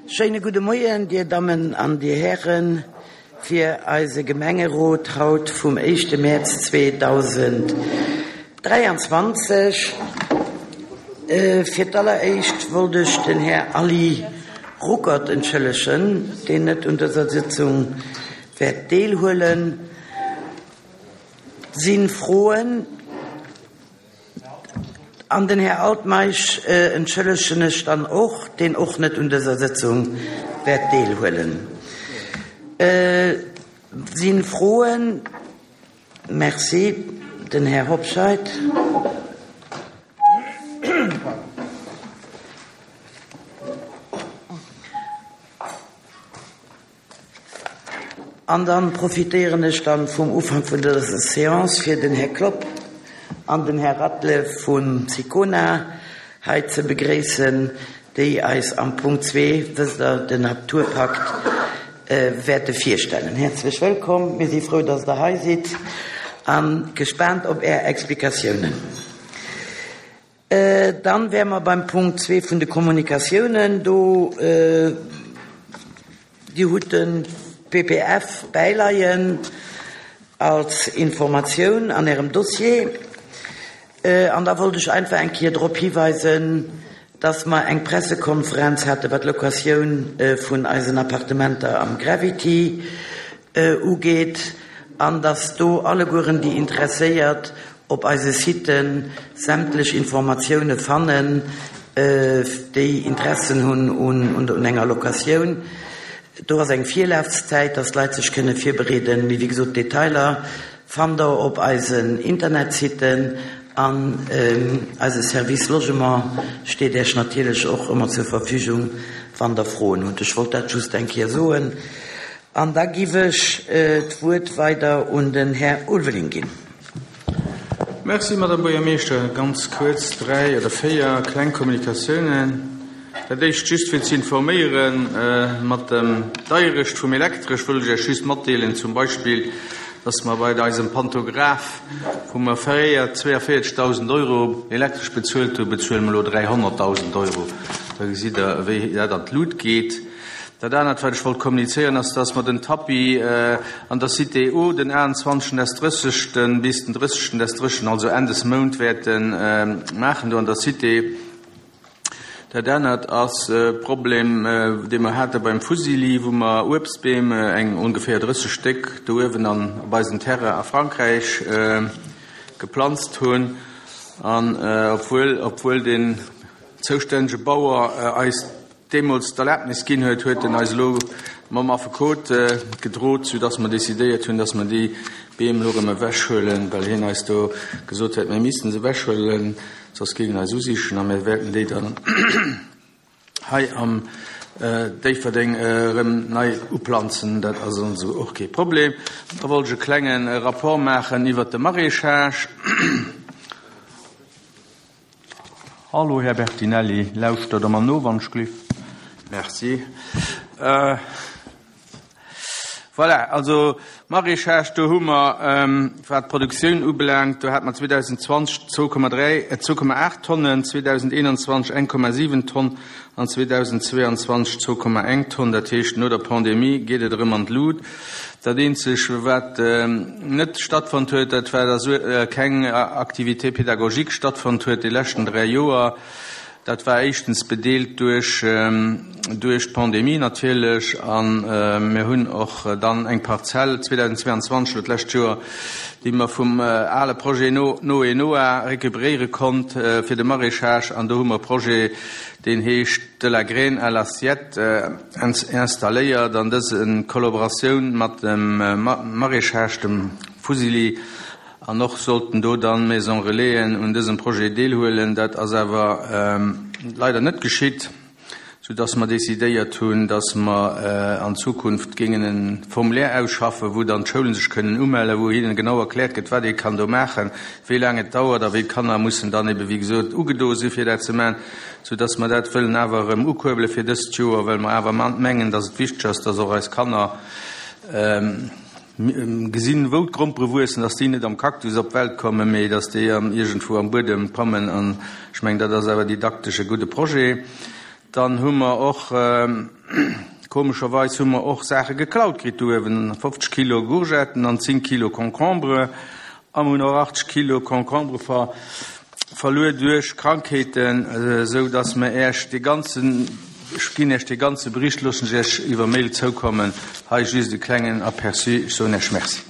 Schéine gudde Moien, Dir Dammen an Dir Hären, fir eise Gemengerot haut vum éischte Mäerz 2023. Fir d'alleréischt wollt ech den Här Aly Ruckert entschëllegen, deen net un dëser Sitzung wäert deelhuelen. Sinn Froen? An den Här Altmeisch entschëllegen ech dann och, deen och net un dëser Sëtzung wäert deelhuelen. Sinn Froen? Merci. Den Här Hobscheit. An dann profitéieren ech dann vum Ufank vun dëser Séance fir den Här Klopp an den Här Ratle vun Sicona hei ze begréissen, déi eis am Punkt zwee, wësst Der, den Naturpakt wäerte virstellen. Häerzlech wëllkomm, mir si frou, dass Der hei sidd a gespaant op Är Explikatiounen. Dann wäre mer beim Punkt zwee vun de Kommunikatiounen. Do, Dir hutt de PPF bäileien als Informatioun an Ärem Dossier. An da wollt ech einfach eng Kéier drop hiweisen, dass mer eng Pressekonferenz hate wat d'Locatioun vun eisen Appartementer am Gravity ugeet an dass do allegueren déi Interesséiert op eise Siten sämtlech Informatioune fannen, déi Interessen hunn un enger Locatioun. Do ass eng Virlafszäit, dass d'Leit sech kënne virbereeden. Mee wéi gesot, d'Detailer fannt der op eisen Internetsiten an eise Service Logement steet Iech natierlech och ëmmer zur Verfügung, wann der Froen hutt. Ech wollt dat just eng Kéier soen. An da giff ech d'Wuert weider un den Här Ulveling ginn. Merci, Madame Buergermeeschter. Ganz kuerz dräi oder véier kleng Kommunikatiounen. Dat éischt just fir ze informéieren, mat dem Deierecht vum Elektresch wëll ech Iech just matdeelen zum Beispill, dass mer bei eisem Pantograph, wou mer fréier 42.000 Euro Elektresch bezuelt hunn, bezuele mer elo 300.000 Euro. Da gesitt Der, wéi dat an d'Lut geet. Dat anert, wat ech wollt kommunizéieren, ass, dass mer den Tapis an der Cité O den 28. des 30. bis den 30. des 30., also Enn des Mount, wäerte maachen do an der Cité. Dat anert ass e Problem, dee mer hate beim Fusili, wou mer Uebstbeem, eng ongeféier 30 Stéck, do uewen an op eisem Terrain a Frankräich geplanzt hunn. An obwuel, obwuel den zoustännege Bauer eis deemools d'Erlaabnis ginn huet, huet en eis elo mam Affekot gedrot, soudass mer decidéiert hunn, dass mer déi Beem elo erëm ewechhuelen, well hien eis do gesot huet, mir missten se ewechhuelen, soss géing en eis usichen a mir wäerten déi dann hei am Déifferdeng erëm nei uplanzen. Dat ass also och kee Problem. Da wollt ech e klenge Rapport maachen iwwert de Maraîchage. Hallo, Här Bertinelli, lauschtert Der mer no, wann ech gliff? Merci. Voilà, also Maraîchage, do hu mer, wat d'Produktioun ubelaangt, do hate mer 2020 2,3, 2,8 Tonnen, 2021 1,7 Tonn an 2022 2,1 Tonn. Dat heescht, no der Pandemie geet et erëm an d'Lut. Dat eenzeg, wat net stattfonnt huet, dat war, dass keng Activité pédagogique stattfonnt huet déi leschten 3 Joer. Dat war éischtens bedeelt duerch duerch d'Pandemie natierlech a mir hunn och dann eng Parzell 2022, elo d'lescht Joer, déi mer vum ale Projet Noé Noah récupéréiere konnt fir de Maraîchage an do hu mer e Projet, deen heescht De la graine à l'assiette, installéiert an dës en Kollaboratioun mat dem Maraîchage, dem Fusili, an och sollten do dann Maison Relaisen un dësem Projet deelhuelen. Dat ass awer leider net geschitt, sou dass mer decidéiert hunn, dass mer an Zukunft géingen e Formulaire ausschaffen, wou dann d'Schoulen sech kënnen umellen, wou hinnen genau erkläert gëtt, wat ee kann do maachen, wéi laang et dauert a wéi d'Kanner mussen dann ebe wéi gesot ugedo si fir dat ze maachen, sou dass mer dat wëllen awer erëm ukuerbele fir dëst Joer, well mer awer mengen, dass et wichteg ass, dass och eis Kanner gesinn, wou d'Grompere wuessen, dass déi net am Cactus op d'Welt kommen, mee dass déi iergendwou am Buedem kommen. An ech mengen, dat ass awer didaktesch e gudde Projet. Dann hu mer och. Komescherweis hu mer och Saache geklaut kritt do uewen, 50 Kilo Gourgetten an 10 Kilo Concombre. A mer hunn och 80 Kilo Concombre ver verluer duerch Krankheeten, esou dass mer Äech dee ganzen, ech ginn Äech dee ganze Bericht, loossen ech Äech iwwer Mail zoukommen. Hei just e klengen Aperçu. Ech soen Äech Merci.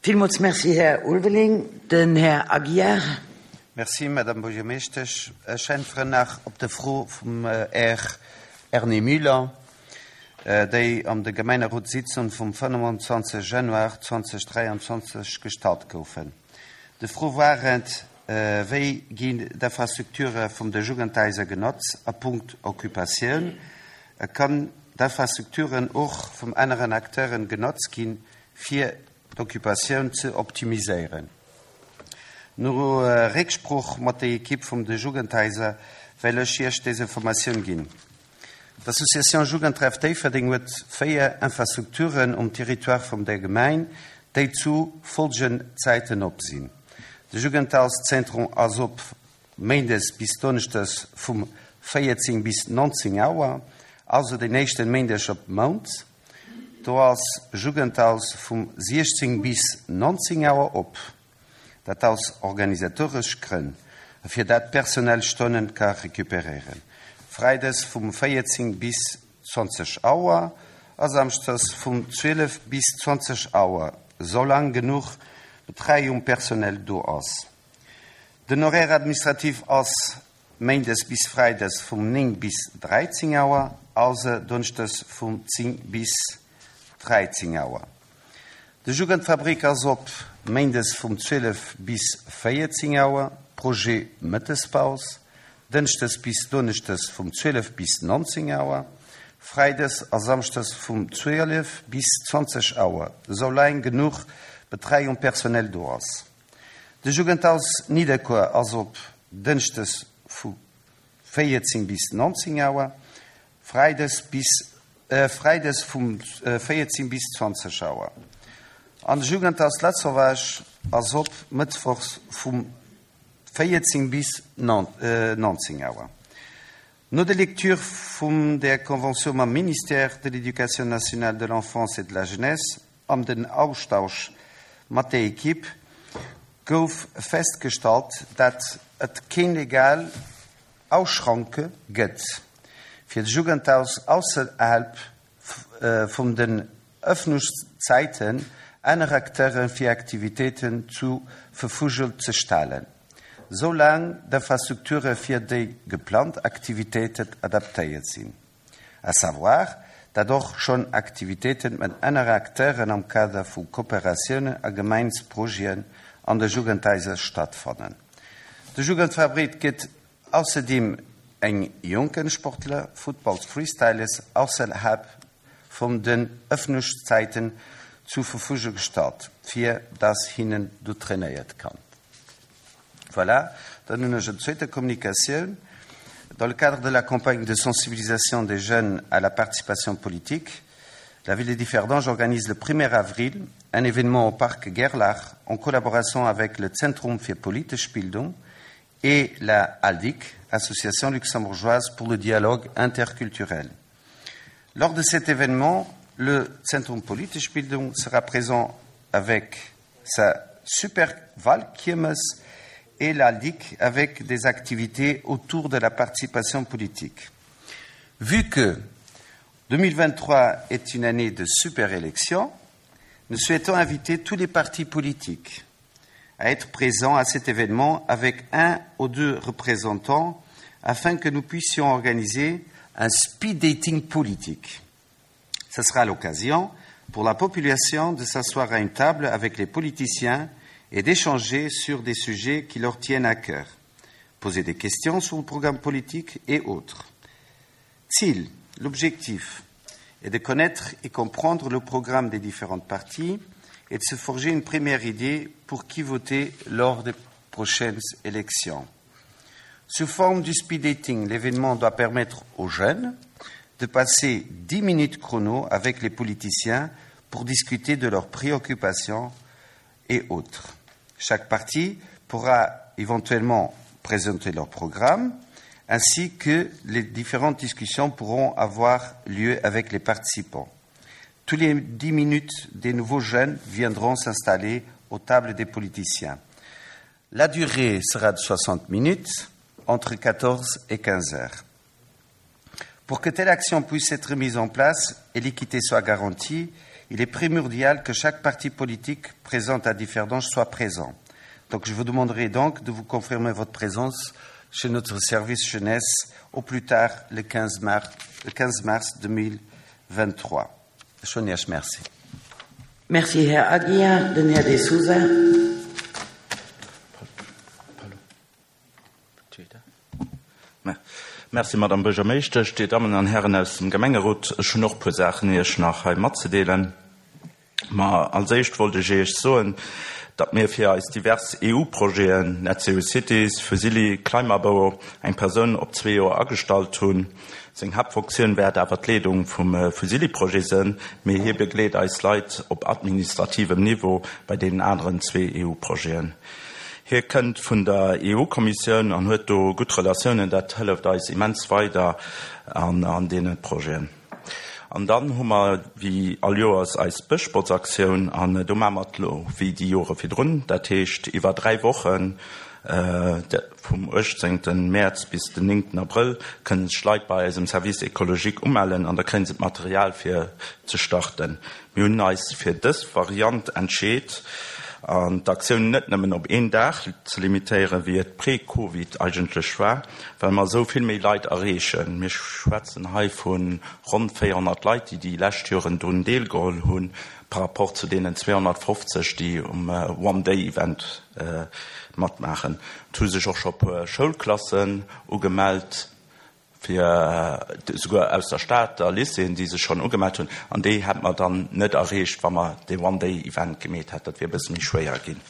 Villmools Merci, Här Ulveling. Den Här Aguiar. Merci, Madame Buergermeeschtesch. Ech äntweren nach op de Fro vum Här Erny Müller, déi an de Gemengerotssitzung vum 25 Januar 2023 gestallt goufen. De Fro war et, Wéi ginn d'Infrastrukture vum de Jugendhaiser genotzt a Punkt Occupatioun? Kann d'Infrastrukturen och vum aneren Acteuren genotzt ginn, fir d'Occupatioun ze optimiséieren? No Récksprooch mat der Ekipp vum de Jugendhaiser well ech Iech des Informatioun ginn. D'Association Jugendtreff Déifferdeng huet 4 Infrastrukturen um Territoire vum der Gemeng, déi zu folgenden Zäiten op sinn. De Jugendhauszentrum ass op méindes bis donneschdes vum 14 bis 19 Auer, also den éischten Méindeg op Mount. Do ass Jugendhaus vum 16 bis 19 Auer op. Dat aus organisatoresch Grënn, fir dat d'Personal Stonnen ka recuperéieren. Freides vum 14 bis 20 Auer a Samschdes vum 12 bis 20 Auer, soulaang genuch Betreiung Personnel do ass. Den Horaire administratif ass Méindes bis Freides vum 9 bis 13 Auer, auser Donneschdes vum 10 bis 13 Auer. De Jugendfabrik ass op Méindes vum 12 bis 14 Auer, Projet Mëttespaus, Dënschdes bis Donneschdes vum 12 bis 19 Auer, Freides a Samschdes vum 12 bis 20 Auer, soulaang genuch Betreiung personnel do ass. De Jugendhaus Nidderkuer ass op Dënschdes vu 14 bis 19 Auer, Freides bis Freides vum 14 bis 20 Auer an de Jugendhaus Lasauvage ass op Mëttwochs vum 14 bis 19 Auer. No der Lecture vum der Convention mam Ministère de l'Éducation nationale, de l'Enfance et de la Jeunesse an den Austausch mat der Equipe gouf festgestallt, dat et keen legal Ausschranke gëtt, fir d'Jugendhaus ausserhalb vum den Ëffnungszäiten aner Acteure fir Aktivitéiten zu Verfügung ze stellen, soulaang d'Infrastrukture fir déi geplant Aktivitéiten adaptéiert sinn. À savoir, dat och schonn Aktivitéiten mat anere Acteuren am Kader vu Kooperatiounen a Gemeinsprojeten an de Jugendhaiser stattfannen. De Jugendfabrik gëtt ausserdeem eng jonken Sportler, Footballs, Freestylers, ausserhalb vun den Ëffnungszäiten zu Verfügung gestallt, fir dass hinnen do trainéiert kann. Voilà, dann hunn ech eng zweete Kommunikatioun. Dans le cadre de la campagne de sensibilisation des jeunes à la participation politique, la ville de Differdange organise le 1er avril un événement au parc Gerlach en collaboration avec le Zentrum für politische Bildung et la ALDIC, Association luxembourgeoise pour le dialogue interculturel. Lors de cet événement, le Zentrum politische Bildung sera présent avec sa super Valkirmes et la LIC avec des activités autour de la participation politique. Vu que 2023 est une année de super élection, nous souhaitons inviter tous les partis politiques à être présents à cet événement avec un ou deux représentants afin que nous puissions organiser un speed dating politique. Ce sera l'occasion pour la population de s'asseoir à une table avec les politiciens et d'échanger sur des sujets qui leur tiennent à cœur, poser des questions sur le programme politique et autres. Ziel, l'objectif est de connaître et comprendre le programme des différentes parties et de se forger une première idée pour qui voter lors des prochaines élections. Sous forme du speed dating, l'événement doit permettre aux jeunes de passer dix minutes chrono avec les politiciens pour discuter de leurs préoccupations et autres. Chaque parti pourra éventuellement présenter leur programme. ainsi que les différentes discussions pourront avoir lieu avec les participants. Tous les dix minutes, des nouveaux jeunes viendront s'installer aux tables des politiciens. La durée sera de 60 minutes entre 14 et 15 heures. Pour que telle action puisse être mise en place et l'équité soit garantie, il est primordial que chaque parti politique présent à Differdange soit présent. Donc je vous demanderai donc de vous confirmer votre présence chez notre service jeunesse au plus tard le 15 mars, le 15 mars 2023. Schoniasch, merci. Merci Här Aguiar, den Här De Sousa. Merci, Madame Buergermeeschtesch, Dir Dammen an Hären aus dem Gemengerot. Ech hunn och e puer Saachen Iech nach hei matzedeelen. Ma als éischt wollt ech Iech soen, datt mir fir eis divers EU-Projeten, Net Zero Cities, Fusilli, Climabau, eng Persoun op zwee Joer agestallt hunn. Seng Haaptfonctioun wäert awer d'Leedung vum Fusilli-Projet sënn, mee hie begleet eis Leit op administrativem Niveau bei deenen aneren zwee EU-Projeten. Hie kënnt vun der EU-Kommissioun an huet do gutt Relatiounen. Dat hëlleft eis immens weider an deene Projeten. An dann hu mer wéi all Joers eis Bëschbotzaktioun an do maache mer et elo wéi déi Jore virdrun, dat heescht iwwer 3 Wochen, vum 18 Mäerz bis den 9 Abrëll kënnen sech Leit bei eisem Service écologique umellen an da kréie se d'Material fir ze starten. Mir hunn eis fir dës Variant entscheet an d'Aktioun net nëmmen op een Dag ze limitéieren, wéi et pre-Covid eigentlech war, well mer esou vill méi Leit erreechen. Mir schwätzen hei vu ronn 400 Leit, déi déi lescht Joren drun deelgeholl hunn, par rapport zu deenen 250, déi um One-Day-Event matmaachen. Et hu sech och scho puer Schoulklassen ugemellt. fir esouguer aus der Stad a Lycéeën, déi sech schonn ugemellt hunn, an déi hätt mer dann net erreecht, wa mer dee One-Day-Event gemeet hätt. Dat wier e bësse méi schwéier ginn.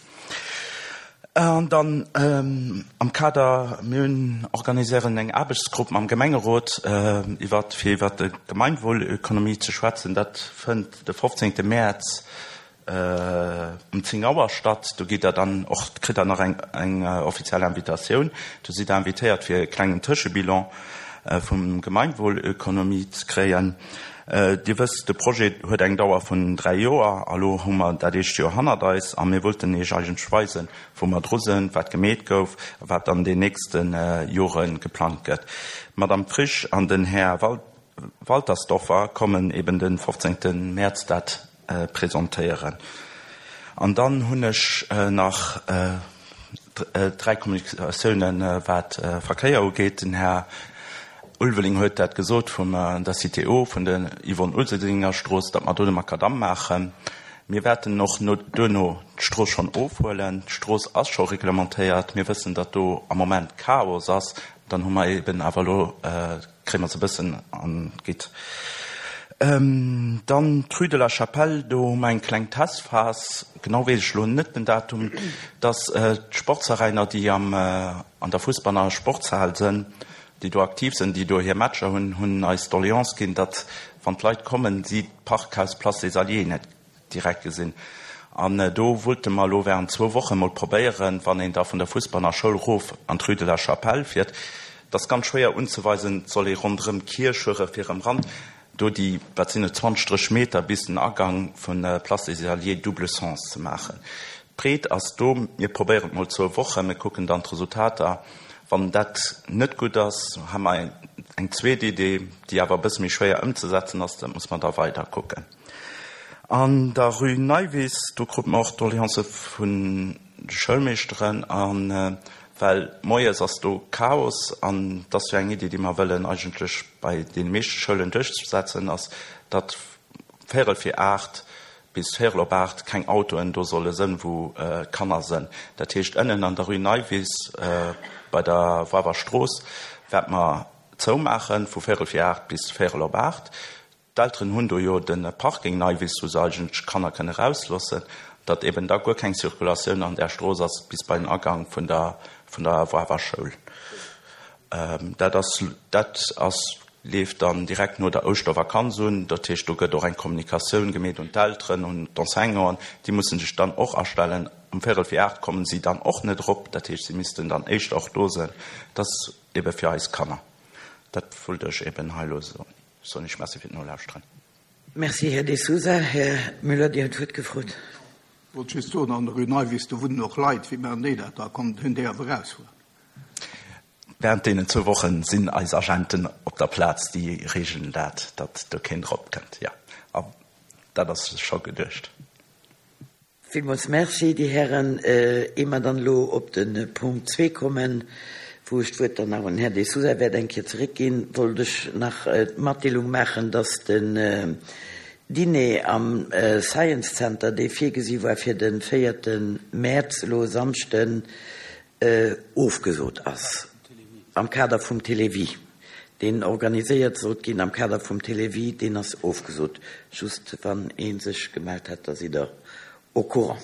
An dann am Kader, mir hunn, organiséieren eng Aarbechtsgrupp mam Gemengerot iwwert, fir iwwert d'Gemeinwohlökonomie ze schwätzen. Dat fënnt de 15. Mäerz Um 10 Auer statt. Do gitt der dann och, kritt der nach eng eng offiziell Invitatioun. Do sidd der invitéiert fir e klengen Tëschebilan vum Gemeinwohlökonomie ze kréien. Dir wësst, de Projet huet eng Dauer vun 3 Joer a lo hu mer dat éischt Joer hannert eis a mir wollten Iech eigentlech weisen, wou mer dru sënn, wat gemeet gouf a wat an den nächste Jore geplangt gëtt. D'Madame Frisch an den Här Waltersdorfer kommen eben de 15 Mäerz dat presentéieren. An dann hunn ech nach dräi Kommunikatiounen, wat Verkéier ugeet. Den Här Ulveling huet dat gesot vum der Cité O, vun der Yvonne Useldinger Strooss, datt mer do de Makadamm maachen. Mir wäerten och duerno d'Strooss schonn ofhuelen. D'Strooss ass scho reglementéiert. Mir wëssen, datt do am Moment Chaos ass. Dann hu mer eben awer elo Kréie mer se e bëssen an d'Gitt. Dann d'Rue de la Chapelle, do hu mer eng kleng Testphas, genau weess ech elo net den Datum, dass d'Sportsveräiner, déi am an der Fussbanner Sportshal sënn, déi do aktiv sënn, déi do hir Matcher hunn, hunn eis d'Doleance ginn, datt wann d'Leit kommen, si d'Parkhaus Place des Alliés net direkt gesinn. An do wollte mer elo während zwou Woche mol probéieren, wann een da vun der Fussbanner Schoul erof an d'Rue de la Chapelle fiert, et ass ganz schwéier unzeweisen, et soll ee ronderëm d'Kierch fuere fir erëm ran, do déi, wat sinn et, 20, 30 Meter bis den Agang vun Place des Alliés double sens ze maachen. D'Breet ass do. Mir probéieren et mol zwou Wochen, mir kucken dann d'Resultater. Wann dat net gutt ass, hu mer eng zweet Idee, déi awer e bësse méi schwéier ëmzesetzen ass. Dat muss mer da weider kucken. An der Rue Neiwiss, do krute mer och d'Doleancë vun de Schoulmeeschteren. A well moies ass do Chaos, an et ass jo eng Iddi, déi mer wëllen eigentlech bei deene meeschte Schoulen duerchsetzen, ass, datt véierel vir 8 bis véierel op 8 keng Autoen do solle sënn, wou d'Kanner sënn. Dat heescht, ënnen an der Rue Neiwiss bei der Wawer Strooss wäerte mer zoumaachen, vu véierel vir 8 bis véierel op 8. D'Elteren hunn do jo de Parking Neiwiss, wou se eigentlech d'Kanner kënne rausloossen, datt eben da guer keng Circulatioun an där Strooss ass bis bei den Agang vun der vun der Wawer Schoul. Dat ass dat ass leeft dann direkt no der Ouschtervakanz un. Dat heescht, do gëtt och eng Kommunikatioun gemeet un d'Elteren, un d'Enseignanten. Déi musse sech dann och astellen. Um véierel vir 8 kommen si dann och net erop. Dat heescht, si missten dann éischter och do sinn. Dat. ebe fir eis Kanner. Dat wollt ech eben hei elo soen. Soen Iech Merci fir d'Nolauschteren. Merci, Här De Sousa. Här Müller, Dir hutt d'Wuert gefrot. Wollt just soen, an der Rue Neuwiss, do wunnen och Leit. Wéi maachen déi dat da? Kommen hunn déi awer erausfueren? Während deenen zwou Wochen sinn eis Agenten op der Plaz, déi regeln dat, datt do keen drop kënnt. Jo, a dat ass scho geduecht. Villmools Merci, Dir Hären. Ier mer dann elo op de Punkt zwee kommen, wou ech d'Wuert dann nach un den Här De Sousa wäert eng Kéier zeréckginn, wollt ech nach d'Matdeelung maachen, dass den Diner am Science Center, dee virgesi war fir de véierte Mäerz, elo e Samschden, ofgesot ass am Kader vum Télévie, deen organiséiert sollt ginn am Kader vum Télévie, deen ass ofgesot. Just wann ee sech gemellt hätt, da sidd Der au courant.